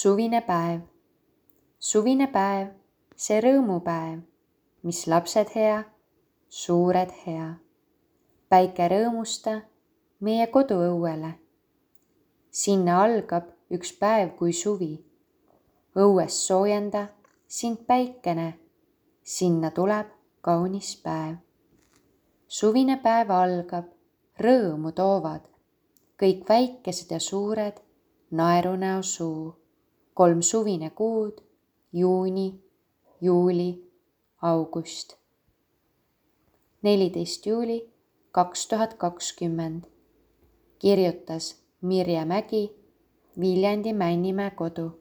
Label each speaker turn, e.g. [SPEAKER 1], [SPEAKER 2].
[SPEAKER 1] Suvine päev. Suvine päev, see rõõmupäev, mis lapsed hea, suured hea. Päike rõõmusta meie koduõuele. Sinna algab üks päev kui suvi. Õues soojenda sind päikene, sinna tuleb kaunis päev. Suvine päev algab, rõõmu toovad kõik väikesed ja suured naerunäo suu. 3 suvine kuud, juuni, juuli, august. 14. juuli 2020. Kirjutas Mirje Mägi, Viljandi Männimäe kodu.